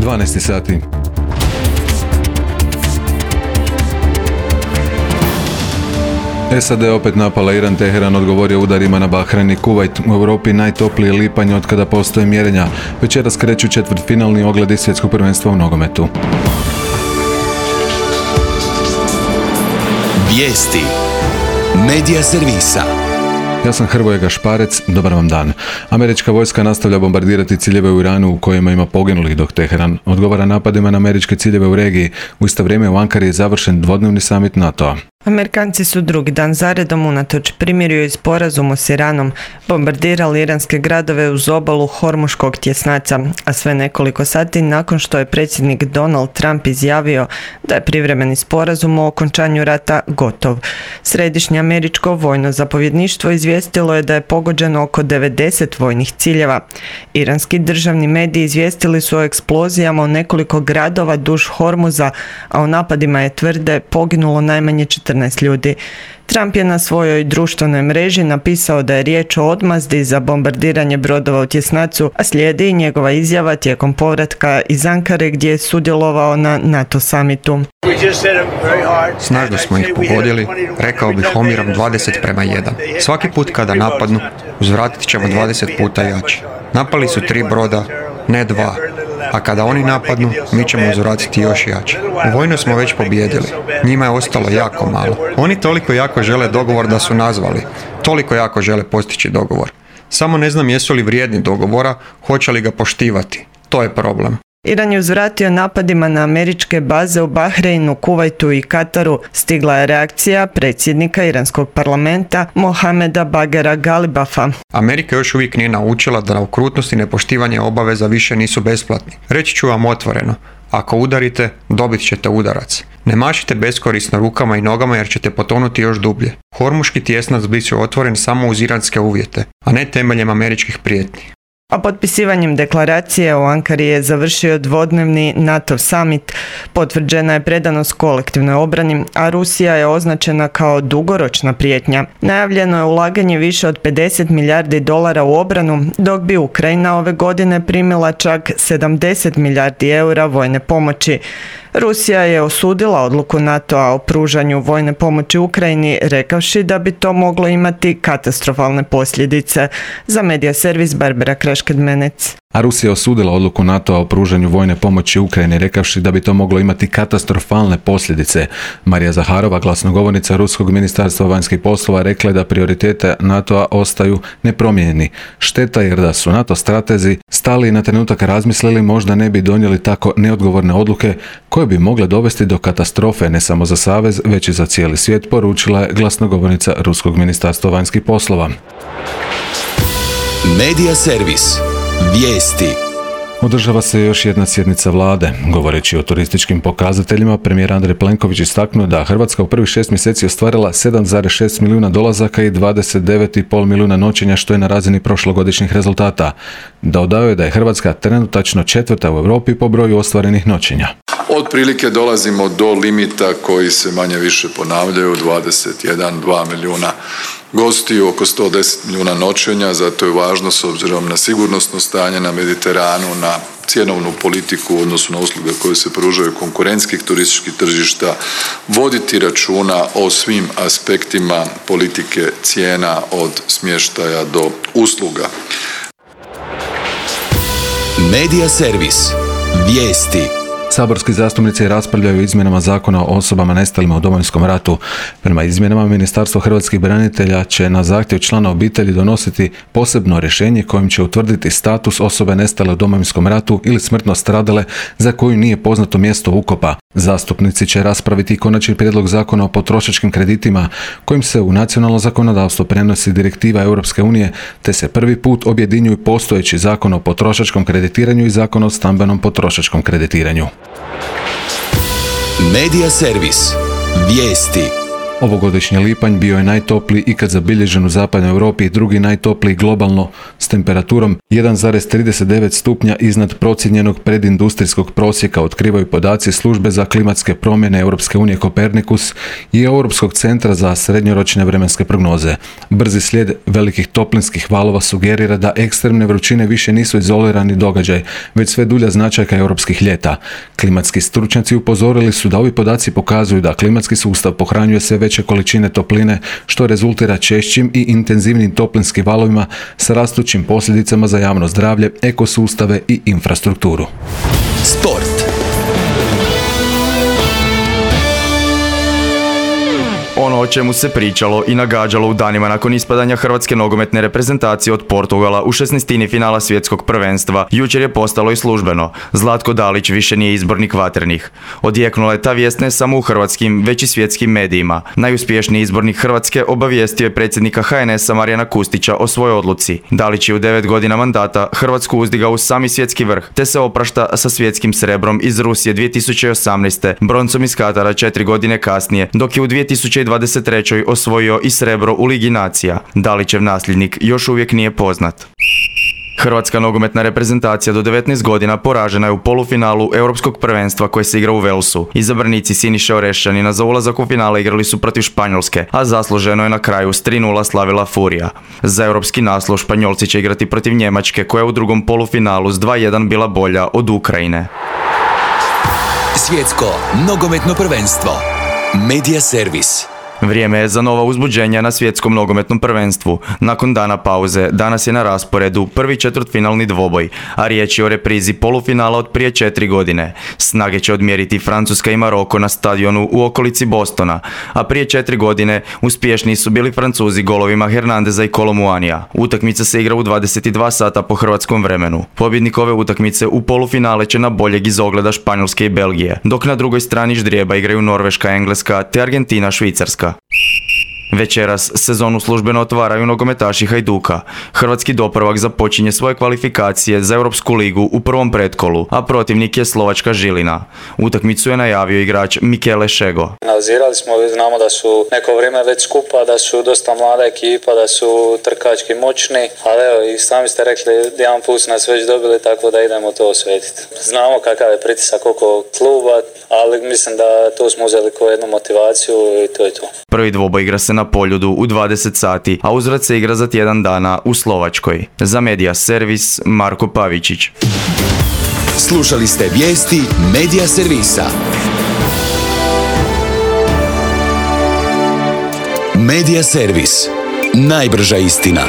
12 sati. SAD opet napala Iran, Teheran odgovorio udarima na Bahrein i Kuvajt. U Europi najtopliji lipanj od kada postoje mjerenja. Večeras kreću četvrtfinalni ogledi svjetskog prvenstva u nogometu. Vijesti Medija servisa. Ja sam Hrvoje Gašparec, dobar vam dan. Američka vojska nastavlja bombardirati ciljeve u Iranu u kojima ima poginulih, dok Teheran odgovara napadima na američke ciljeve u regiji. U isto vrijeme u Ankari je završen dvodnevni samit NATO-a. Amerikanci su drugi dan zaredom unatoč primirju i sporazumu s Iranom bombardirali iranske gradove uz obalu Hormuškog tjesnaca, a sve nekoliko sati nakon što je predsjednik Donald Trump izjavio da je privremeni sporazum o okončanju rata gotov. Središnje američko vojno zapovjedništvo izvijestilo je da je pogođeno oko 90 vojnih ciljeva. Iranski državni mediji izvijestili su o eksplozijama u nekoliko gradova duž Hormuza, a u napadima je tvrde poginulo najmanje 14 ljudi. Trump je na svojoj društvenoj mreži napisao da je riječ o odmazdi za bombardiranje brodova u tjesnacu, a slijedi i njegova izjava tijekom povratka iz Ankare gdje je sudjelovao na NATO samitu. Snažno smo ih pogodili, rekao bih omjerom 20:1. Svaki put kada napadnu, uzvratit ćemo 20 puta jače. Napali su 3 broda, ne 2. A kada oni napadnu, mi ćemo uzvratiti još jače. U vojnu smo već pobijedili. Njima je ostalo jako malo. Oni toliko jako žele dogovor da su nazvali. Toliko jako žele postići dogovor. Samo ne znam jesu li vrijedni dogovora, hoće li ga poštivati. To je problem. Iran je uzvratio napadima na američke baze u Bahreinu, Kuvajtu i Kataru. Stigla je reakcija predsjednika iranskog parlamenta Mohameda Baghera Galibafa. Amerika još uvijek nije naučila da okrutnost i nepoštivanje obaveza više nisu besplatni. Reći ću vam otvoreno. Ako udarite, dobit ćete udarac. Ne mašite beskorisno rukama i nogama jer ćete potonuti još dublje. Hormuški tjesnac bit će otvoren samo uz iranske uvjete, a ne temeljem američkih prijetnji. A potpisivanjem deklaracije u Ankari je završio dvodnevni NATO summit. Potvrđena je predanost kolektivnoj obrani, a Rusija je označena kao dugoročna prijetnja. Najavljeno je ulaganje više od 50 milijardi dolara u obranu, dok bi Ukrajina ove godine primila čak 70 milijardi eura vojne pomoći. Rusija je osudila odluku NATO-a o pružanju vojne pomoći Ukrajini, rekavši da bi to moglo imati katastrofalne posljedice. Za medija servis Barbara Krašked-Menec. A Rusija osudila odluku NATO-a o pružanju vojne pomoći Ukrajini, rekavši da bi to moglo imati katastrofalne posljedice. Marija Zaharova, glasnogovornica Ruskog ministarstva vanjskih poslova, rekla je da prioritete NATO-a ostaju nepromijenjeni. Šteta jer da su NATO stratezi stali i na trenutak razmislili, možda ne bi donijeli tako neodgovorne odluke koje bi mogle dovesti do katastrofe ne samo za savez, već i za cijeli svijet, poručila je glasnogovornica Ruskog ministarstva vanjskih poslova. Medija servis. Vijesti. Održava se još jedna sjednica vlade. Govoreći o turističkim pokazateljima, premijer Andrej Plenković istaknuo da Hrvatska u prvih 6 mjeseci ostvarila 7,6 milijuna dolazaka i 29,5 milijuna noćenja, što je na razini prošlogodišnjih rezultata. Dodao je da je Hrvatska trenutačno 4. u Europi po broju ostvarenih noćenja. Otprilike dolazimo do limita koji se manje više ponavljaju, 21-2 milijuna gostiju, oko 110 milijuna noćenja, zato je važno s obzirom na sigurnosno stanje na Mediteranu, na cjenovnu politiku u odnosu na usluge koje se pružaju konkurentskih turističkih tržišta, voditi računa o svim aspektima politike cijena od smještaja do usluga. Medija servis. Vijesti. Saborski zastupnici raspravljaju o izmjenama zakona o osobama nestalima u Domovinskom ratu. Prema izmjenama, Ministarstvo hrvatskih branitelja će na zahtjev člana obitelji donositi posebno rješenje kojim će utvrditi status osobe nestale u Domovinskom ratu ili smrtno stradale za koju nije poznato mjesto ukopa. Zastupnici će raspraviti i konačni prijedlog zakona o potrošačkim kreditima kojim se u nacionalno zakonodavstvo prenosi direktiva Europske unije te se prvi put objedinjuju postojeći zakon o potrošačkom kreditiranju i zakon o stambenom potrošačkom kreditiranju. Medija servis. Vijesti. Ovogodišnji lipanj bio je najtopliji ikad zabilježen u zapadnoj Europi i drugi najtopliji globalno s temperaturom 1,39 stupnja iznad procijenjenog predindustrijskog prosjeka, otkrivaju podaci Službe za klimatske promjene Europske unije Kopernikus i Europskog centra za srednjoročne vremenske prognoze. Brzi slijed velikih toplinskih valova sugerira da ekstremne vrućine više nisu izolirani događaj, već sve dulja značajka europskih ljeta. Klimatski stručnjaci upozorili su da ovi podaci pokazuju da klimatski sustav pohranjuje sve veće količine topline, što rezultira češćim i intenzivnim toplinskim valovima s rastućim posljedicama za javno zdravlje, ekosustave i infrastrukturu. Sport. Ono o čemu se pričalo i nagađalo u danima nakon ispadanja hrvatske nogometne reprezentacije od Portugala u 16. finala svjetskog prvenstva, jučer je postalo i službeno. Zlatko Dalić više nije izbornik Vatrenih. Odjeknula je ta vijest ne samo u hrvatskim, već i svjetskim medijima. Najuspješniji izbornik Hrvatske obavijestio je predsjednika HNS-a Marijana Kustića o svojoj odluci. Dalić je u 9 godina mandata Hrvatsku uzdigao u sami svjetski vrh, te se oprašta sa svjetskim srebrom iz Rusije 2018. broncom iz Katara 4 godine kasnije, dok je u 2023. osvojio i srebro u Ligi nacija. Dalićev nasljednik još uvijek nije poznat. Hrvatska nogometna reprezentacija do 19 godina poražena je u polufinalu Europskog prvenstva koje se igra u Walesu. Izabranici Siniše Orešćanina za ulazak u finale igrali su protiv Španjolske, a zasluženo je na kraju s 3:0 slavila Furija. Za europski naslov Španjolci će igrati protiv Njemačke koja je u drugom polufinalu s 2:1 bila bolja od Ukrajine. Svjetsko nogometno prvenstvo. Media Servis. Vrijeme je za nova uzbuđenja na svjetskom nogometnom prvenstvu. Nakon dana pauze, danas je na rasporedu prvi četvrtfinalni dvoboj, a riječ je o reprizi polufinala od prije 4 godine. Snage će odmjeriti Francuska i Maroko na stadionu u okolici Bostona, a prije 4 godine uspješni su bili Francuzi golovima Hernandeza i Kolomuanija. Utakmica se igra u 22 sata po hrvatskom vremenu. Pobjednik ove utakmice u polufinale će na boljeg iz ogleda Španjolske i Belgije, dok na drugoj strani ždrijeba igraju Norveška, Engleska te Argentina, Švicarska. Večeras sezonu službeno otvaraju nogometaši Hajduka. Hrvatski doprvak započinje svoje kvalifikacije za Europsku ligu u prvom pretkolu, a protivnik je slovačka Žilina. Utakmicu je najavio igrač Mikele Šego. Analizirali smo, znamo da su neko vrijeme već skupa, da su dosta mlada ekipa, da su trkački moćni, ali evo i sami ste rekli, jedan put nas već dobili, tako da idemo to osvetiti. Znamo kakav je pritisak oko kluba, ali mislim da tu smo uzeli kao jednu motivaciju i to je to. Prvi dvoboj igra se na Poljudu u 20 sati, a uzvrat se igra za tjedan dana u Slovačkoj. Za Media Servis, Marko Pavičić. Slušali ste vijesti Media Servisa. Media Servis. Najbrža istina.